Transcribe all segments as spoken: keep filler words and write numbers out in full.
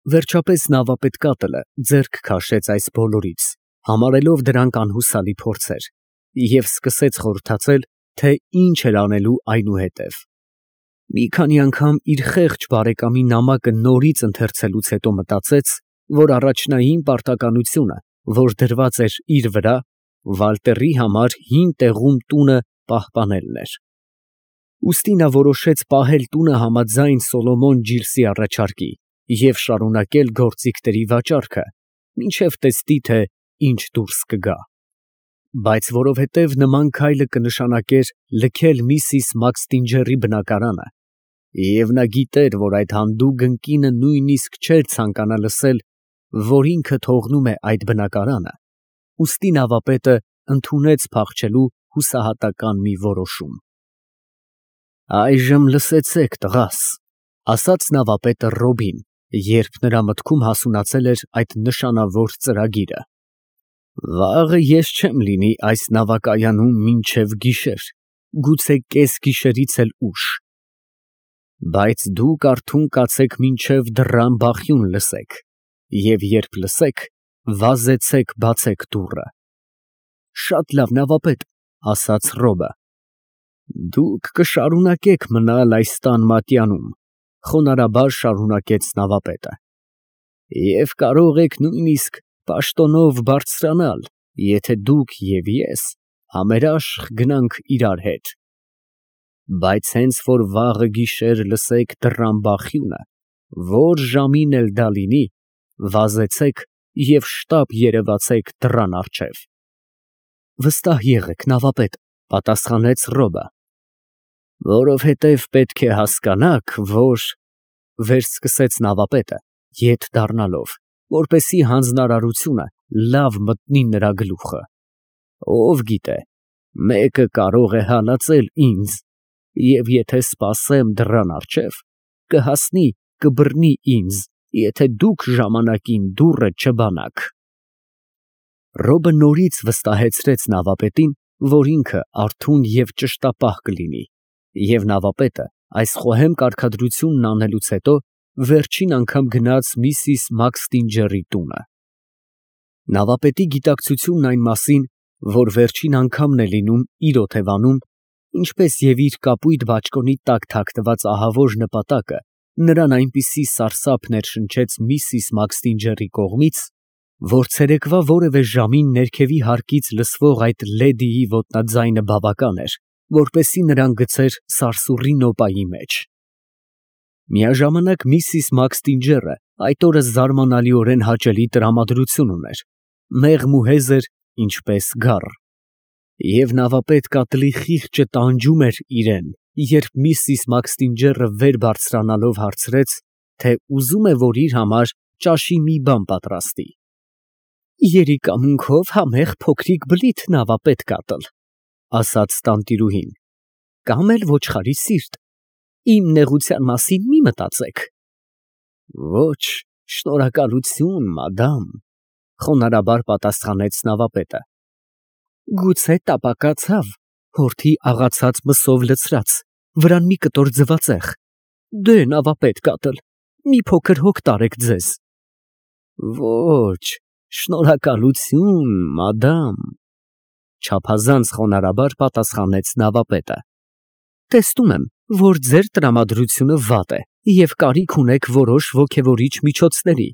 Վերջապես նավապետ կատլը ձեռք քաշեց այս բոլորից, համարելով դրանք անհուսալի փորձեր, և սկսեց խորհրդածել, թե ինչ էր անելու այնուհետև։ Մի քանի անգամ իր խեղճ բարեկամի նամակը նորից ընթերցելուց հետո մտածեց, որ առաջնային պարտականությունը, որ դրված էր իր վրա, Վալտերի համար հին տեղում տունը պահպանելն էր։ Ուստի նա որոշեց պահել տունը համաձայն Սոլոմոն Ջիրսի առաջարկի և շարունակել գործիքների վաճառքը, մինչև տեսնի, թե ինչ դուրս կգա։ Բայց որովհետև նման քայլը կնշանակեր լքել միսիս Մաքսթինջերի բնակարանը, և նա գիտեր, որ այդ հանդուգն կինը նույնիսկ չէր ցանկանա լսել, որ ինքը թողնում է այդ բնակարանը, ուստի նավապետը ընդունեց փախչելու հուսահատական մի որոշում։ «Այժմ լսեցեք, տղաս», ֊ ասաց նավապետը Ռոբին, երբ նրա մտքում հասունացել էր այդ նշանավոր ծրագիրը։ «Վաղը ես չեմ լինի այս նավակայանում մինչև գիշեր, գուցե կեսգիշերից էլ ուշ, բայց դուք արթուն կացեք մինչև դռան բախյուն լսեք, և երբ լսեք, վազեցեք բացեք դուռը»։ «Շատ լավ, նավապետ», ֊ ասաց Ռոբը։ «Դուք կշարունակեք մնալ այս տան մատյանում», ֊ խոնարհաբար շարունակեց նավապետը, «և կարող եք նույնիսկ պաշտոնով բարձրանալ, եթե դուք և ես համերաշխ գնանք իրար հետ։ Բայց հենց որ վաղը գիշեր լսեք դռան բախյունը, որ ժամին էլ դա լինի, վազեցեք և շտապ երևացեք դռան առջև»։ «Վստահ եղեք, նավապետ», ֊ պատասխանեց Ռոբը։ «Որովհետև պետք է հասկանաք, որ…» վերսկսեց նավապետը, ետ դառնալով, որպեսզի հանձնարարությունը լավ մտնի նրա գլուխը։ «Ով գիտե, մեկը կարող է հալածել ինձ, և եթե սպասեմ դռան առջև, կհասնի, կբռնի ինձ, եթե դուք ժամանակին դուռը չբանաք»։ Ռոբը նորից վստահեցրեց նավապետին, որ ինքը արթուն և ճշտապահ կլինի, և նավապետը այս խոհեմ կարգադրությունն անելուց հետո վերջին անգամ գնաց միսիս Մաքսթինջերի տունը։ Նավապետի գիտակցությունն այն մասին, որ վերջին անգամն է լինում իր օթևանում, ինչպես և իր կապույտ բաճկոնի տակ թաքնված ահավոր նպատակը, նրան այնպիսի սարսափ ներշնչեց միսիս Մաքսթինջերի կողմից, որ ցերեկվա որևէ ժամին ներքևի հարկից լսվող այդ լեդիի ոտնաձայնը բավական էր, որպեսզի նրան գցեր սարսուռի նոպայի մեջ։ Միաժամանակ միսիս Մաքսթինջերը այդ օրը զարմանալիորեն հաճելի տրամադրություն ուներ, մեղմ ու հեզր, ինչպես գառ։ Եվ նավապետ կատլի խիղճը տանջում էր իրան, երբ միսիս Մաքսթինջերը վեր բարձրանալով հարցրեց, թե ուզում է, որ իր համար ճաշի մի բան պատրաստի։ «Երիկամունքով համեղ փոքրիկ բլիթ, նավապետ կատլ», ֊ ասաց տանտիրուհին, «կամ էլ ոչխարի սիրտ, իմ նեղության մասին մի մտածեք»։ «Ոչ, շնորհակալություն, մադամ», ֊ խոնարհաբար պատասխանեց նավապետը։ «Գուցե տապակացավ, հորթի աղացած մսով լցրած, վրան մի կտոր ձվածեղ։ Դե, նավապետ կատլ, մի փոքր հոգ տարեք ձեզ»։ «Ոչ, շնորհակալություն, մադամ», ֊ չափազանց խոնարհաբար պատասխանեց նավապետը։ «Տեսնում եմ, որ ձեր տրամադրությունը վատ է և կարիք ունեք որոշ ոգևորիչ միջոցների,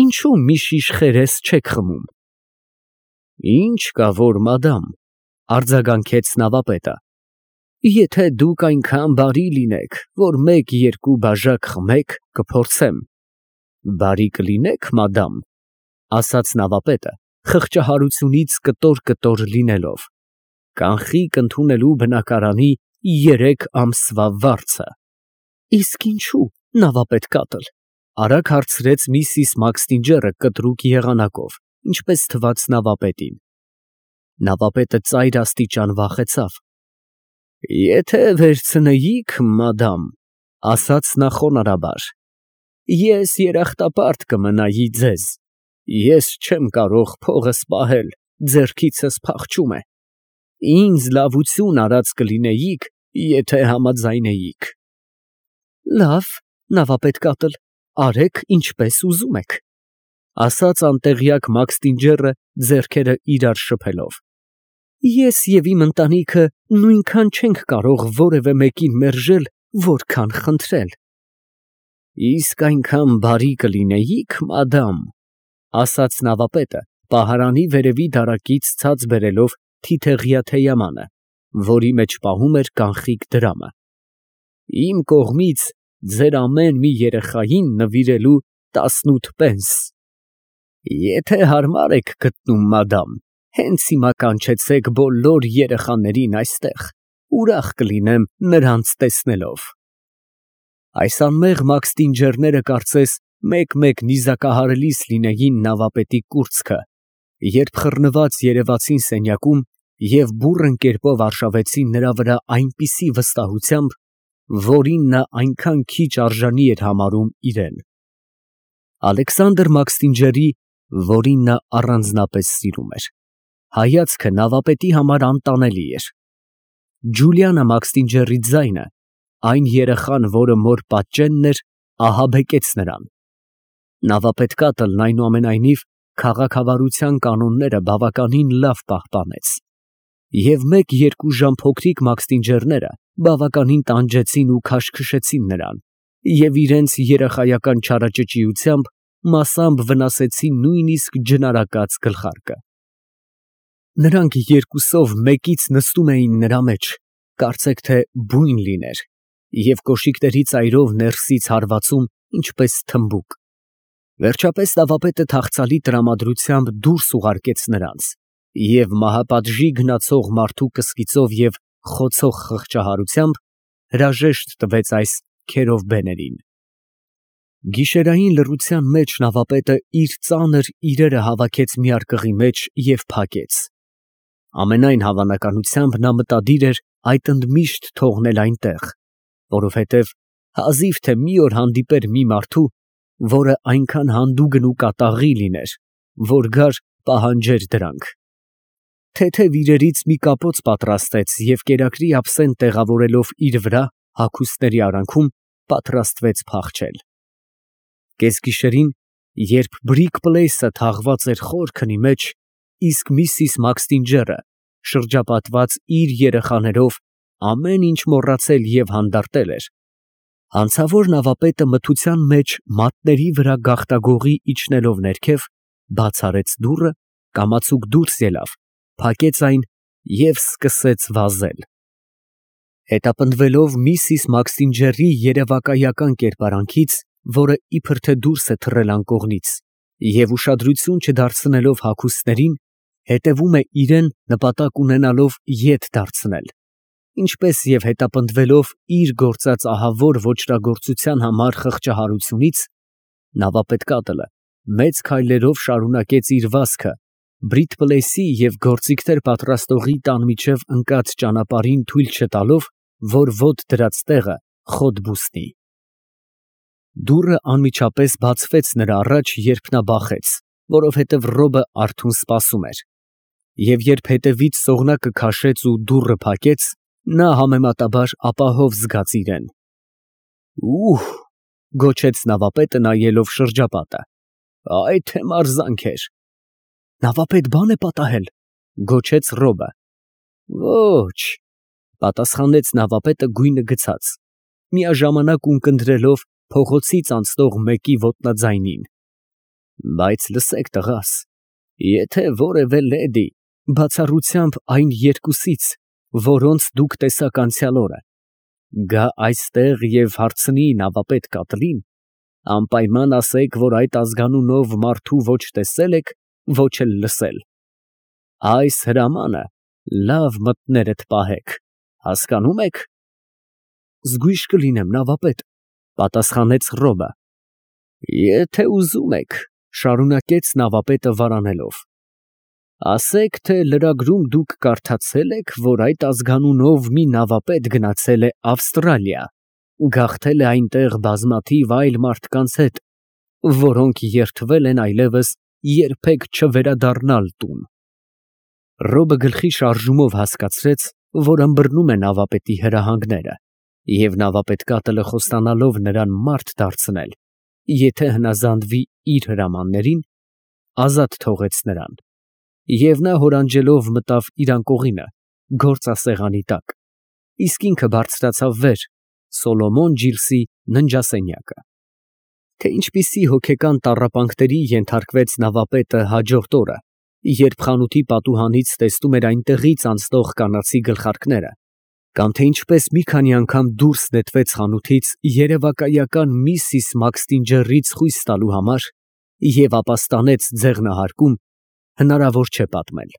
ինչո՞ւ մի շիշ խերես չեք խմում»։ «Ինչ կա որ, մադամ», ֊ արձագանքեց նավապետը, «եթե դուք այնքան բարի լինեք, որ մեկ֊երկու բաժակ խմեք, կփորձեմ»։ «Բարի կլինեք, մադամ», ֊ ասաց նավապետը, խղճահարությունից կտոր֊կտոր լինելով, «կանխիկ ընդունելու բնակարանի երեք ամսվա վարձը»։ «Իսկ ինչո՞ւ, նավապետ կատլ», ֊ արագ հարցրեց միսիս Մաքսթինջերը կտրուկ եղանակով, ինչպես թվաց նավապետին։ Նավապետը ծայր աստիճան վախեցավ։ «Եթե վերցնեիք, մադամ», ֊ ասաց նա խոնարհաբար, «ես երախտապարտ կմնայի ձեզ, ես չեմ կարող փողս պահել, ձեռքիցս փախչում է, ինձ լավություն արած կլինեիք, եթե համաձայնեիք»։ «Լավ, նավապետ կատլ, արեք ինչպես ուզում եք, ասաց անտեղյակ Մաքստինջերը ձեռքերը իրար շփելով։ Ես և իմ ընտանիքը նույնքան չենք կարող որևէ մեկին մերժել, որքան խնդրել։ Իսկ այնքան բարի կլինեիք, մադամ, ասաց նավապետը, պահարանի վերևի դարակից ցած բերելով թիթեղյա թեյամանը, որի մեջ պահում էր կանխիկ դրամը, իմ կողմից ձեր ամեն մի երեխային նվիրելու տասնութ պենս։ Եթե հարմար եք գտնում, մադամ, հենց հիմա կանչեցեք բոլոր երեխաներին այստեղ, ուրախ կլինեմ նրանց տեսնելով։ Այս անմեղ մաքստինջերները կարծես մեկ֊մեկ նիզակահարելիս լինեին նավապետի կուրծքը, երբ խռնված երևացին սենյակում և բուռն կերպով արշավեցին նրա վրա այնպիսի վստահությամբ, որին նա այնքան քիչ արժանի էր համարում իրեն։ Ալեքսանդր Մաքստինջերի, որին նա առանձնապես սիրում էր, հայացքը նավապետի համար անտանելի էր։ Ջուլիանա Մաքստինջերի ձայնը, այն երեխան, որը մոր պատճենն էր, ահաբեկեց նրան։ Նավապետ կատլն այնուամենայնիվ քաղաքավարության կանոնները բավականին լավ պահպանեց, և մեկ֊երկու ժամ փոքրիկ մաքստինջերները բավականին տանջեցին ու քաշքշեցին նրան և իրենց երեխայական չարաճճիությամբ մասամբ վնասեցին նույնիսկ ջնարակած գլխարկը։ Նրանք երկուսով մեկից նստում էին նրա մեջ, կարծեք թե բույն լիներ, և կոշիկների ծայրով ներսից հարվածում, ինչպես թմբուկ։ Վերջապես նավապետը թախծալի տրամադրությամբ դուրս ուղարկեց նրանց և մահապատժի գնացող մարդու կսկիծով և խոցող խղճահարությամբ հրաժեշտ տվեց այս քերովբեներին։ Գիշերային լռության մեջ նավապետը իր ծանր իրերը հավաքեց մի արկղի մեջ և փակեց։ Ամենայն հավանականությամբ նա մտադիր էր այդ ընդմիշտ թողնել այնտեղ, որովհետև հազիվ թե մի օր հանդիպեր մի մարդու, որը այնքան հանդուգն ու կատաղի լիներ, որ գար պահանջեր դրանք։ Թեթև իրերից մի կապոց պատրաստեց և կերակրի ափսեն տեղավորելով իր վրա, հագուստների արանքում, պատրաստվեց փախչել։ Կեսգիշերին, երբ Բրիկ֊Պլեյսը թաղված էր խոր քնի մեջ, իսկ միսիս Մաքստինջերը, շրջապատված իր երեխաներով, ամեն ինչ մոռացել և հանդարտել էր, հանցավոր նավապետը մթության մեջ մատների վրա գաղտագողի իջնելով ներքև, բաց արեց դուռը, կամացուկ դուրս ելավ, փակեց այն և սկսեց վազել։ Հետապնդվելով միսիս Մաքստինջերի երևակայական կերպարանքից, որը իբր թե դուրս է թռել անկողնից, և ուշադրություն չդարձնելով հագուստներին, հետևում է իրան նպատակ ունենալով ետ դարձնել, ինչպես և հետապնդվելով իր գործած ահավոր ոճրագործության համար խղճահարությունից, նավապետ կատլը մեծ քայլերով շարունակեց իր վազքը Բրիկ֊Պլեյսի և գործիքներ պատրաստողի տան միջև ընկած ճանապարհին թույլ չտալով, որ ոտ դրած տեղը խոտ բուսնի։ Դուռը անմիջապես բացվեց նրա առաջ, երբ նա բախեց, որովհետև Ռոբը արթուն սպասում էր, և երբ հետևից սողնակը քաշեց ու դուռը փակեց, նա համեմատաբար ապահով զգաց իրեն։ «Ուհ», գոչեց նավապետը նայելով շրջապատը, «այ թե մարզանք էր»։ «Նավապետ, բան է պատահել», գոչեց Ռոբը։ «Ոչ», պատասխանեց նավապետը գույնը գցած, միաժամանակ ունկնդրելով փողոցից անցնող մեկի ոտնաձայնին, «բայց լսեք, տղաս, եթե որևէ լեդի, բացառությամբ այն երկուսից, որոնց դուք տեսաք անցյալ օրը, գա այստեղ և հարցնի նավապետ կատլին, անպայման ասեք, որ այդ ազգանունով մարդու ոչ տեսել եք, ոչ էլ լսել։ Այս հրամանը լավ մտներդ պահեք, հասկանո՞ւմ եք»։ «Զգույշ կլինեմ, նավապետ», պատասխանեց Ռոբը։ «Եթե ուզում եք», շարունակեց նավապետը վարանելով, «ասեք, թե լրագրում դուք կարդացել եք, որ այդ ազգանունով մի նավապետ գնացել է Ավստրալիա, գաղթել է այնտեղ բազմաթիվ այլ մարդկանց հետ, որոնք երդվել են այլևս երբեք չվերադառնալ տուն»։ Ռոբը գլխի շարժումով հասկացրեց, որ ըմբռնում է նավապետի հրահանգները, և նավապետ կատլը խոստանալով նրան մարդ դարձնել, եթե հնազանդվի իր հրամաններին, ազատ թողեց նրան, և նա հորանջելով մտավ իր անկողինը, գործասեղանի տակ, իսկ ինքը բարձրացավ վեր, Սոլոմոն Ջիլսի ննջասենյակը։ Թե ինչպիսի հոգեկան տառապանքների ենթարկվեց նավապետը հաջորդ օրը, երբ խանութի պատուհանից տեսնում էր այնտեղից անցնող կանացի գլխարկները, կամ թե ինչպես մի քանի անգամ դուրս նետվեց խանութից երևակայական միսիս Մաքսթինջերից խույս տալու համար և ապաստանեց ձեղնահարկում, հնարավոր չէ պատմել։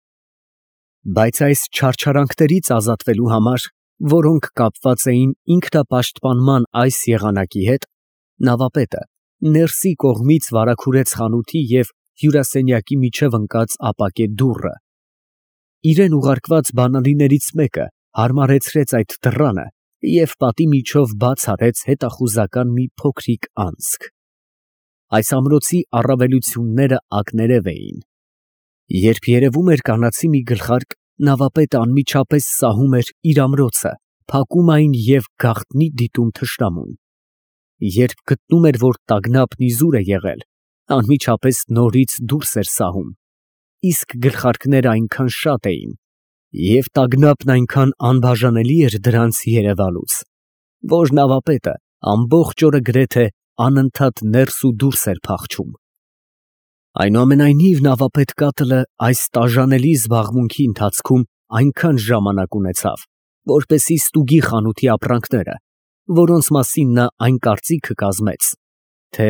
Բայց այս չարչարանքներից ազատվելու համար, որոնք կապված էին ինքնապաշտպանման այս եղանակի հետ, նավապետը ներսի կողմից վարագուրեց խանութի և հյուրասենյակի միջև ընկած ապակե դուռը, իրան ուղարկված բանալիներից մեկը հարմարեցրեց այդ դռանը և պատի միջով բաց արեց հետախուզական մի փոքրիկ անցք։ Այս ամրոցի առավելությունները ակներև էին։ Երբ երևում էր կանացի մի գլխարկ, նավապետը անմիջապես սահում էր իր ամրոցը, փակում այն և գաղտնի դիտում թշնամուն։ Երբ գտնում էր, որ տագնապն իզուր է եղել, անմիջապես նորից դուրս էր սահում, իսկ գլխարկները այնքան շատ էին, և տագնապն այնքան անբաժանելի էր դրանց երևալուց, որ նավապետը ամբողջ օրը գրեթե անընդհատ ներս ու դուրս էր փախչում։ Այնուամենայնիվ նավապետ կատլը այս տաժանելի զբաղմունքի ընթացքում այնքան ժամանակ ունեցավ, որպեսզի ստուգի խանութի ապրանքները, որոնց մասին նա այն կարծիքը կազմեց, թե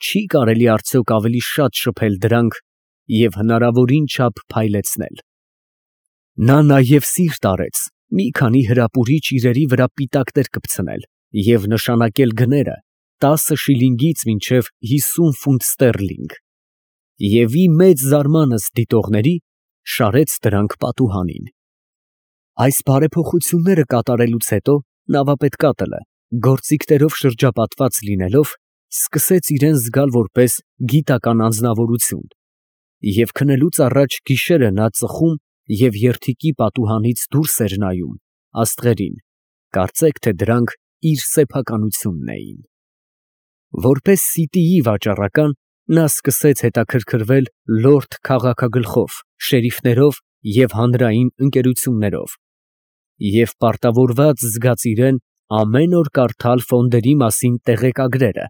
չի կարելի արդյոք ավելի շատ շփել դրանք և հնարավորին չափ փայլեցնել։ Նա նաև սիրտ արեց մի քանի հրապուրիչ իրերի վրա պիտակներ կպցնել և նշանակել գները տասը շիլինգից մինչև հիսուն ֆունտ ստերլինգ, և ի մեծ զարմանս դիտողների շարեց դրանք պատուհանին։ Այս բարեփոխությունները կատարելուց հետո նավապետ կատլը, գործիքներով շրջապատված լինելով, սկսեց իրան զգալ որպես գիտական անձնավորություն, և քնելուց առաջ գիշերը նա ծխում և երդիկի պատուհանից դուրս էր նայում աստղերին, կարծեք թե դրանք իր սեփականությունն էին։ Որպես սիտիի վաճառական, նա սկսեց հետաքրքրվել լորդ քաղաքագլխով, շերիֆներով և հանրային ընկերություններով, և պարտավորված զգաց իրան ամեն օր կարդալ ֆոնդերի մասին տեղեկագրերը,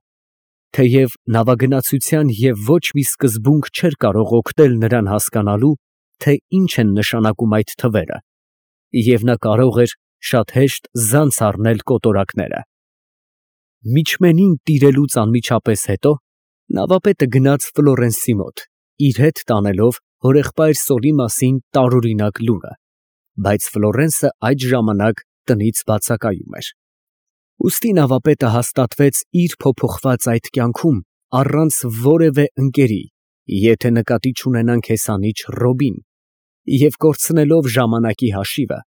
թեև նավագնացության և ոչ մի սկզբունք չէր կարող օգնել նրան հասկանալու, թե ինչ են նշանակում այդ թվերը, և նա կարող էր շատ հեշտ զանց առնել կոտորակները։ Միջմենին տիրելուց անմիջապես հետո նավապետը գնաց Ֆլորենսի մոտ, իր հետ տանելով հորեղբայր Սոլի մասին տարօրինակ լուրը, բայց Ֆլորենսը այդ ժամանակ տնից բացակայում էր։ Ուստի նավապետը հաստատվեց իր փոփոխված այդ կյանքում առանց որևէ ընկերի, եթե նկատի չունենանք հեսանիչ Ռոբին, և կորցնելով ժամանակի հաշիվը,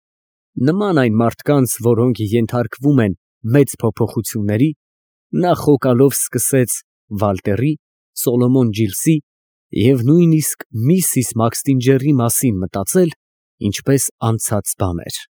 նման այն մարդկանց, որոնք ենթարկվում են մեծ փոփոխությունների, նա խոկալով սկսեց Վալտերի, Սոլոմոն Ջիլսի և նույնիսկ միսիս Մաքսթինջերի մասին մտածել, ինչպես անցած բաներ։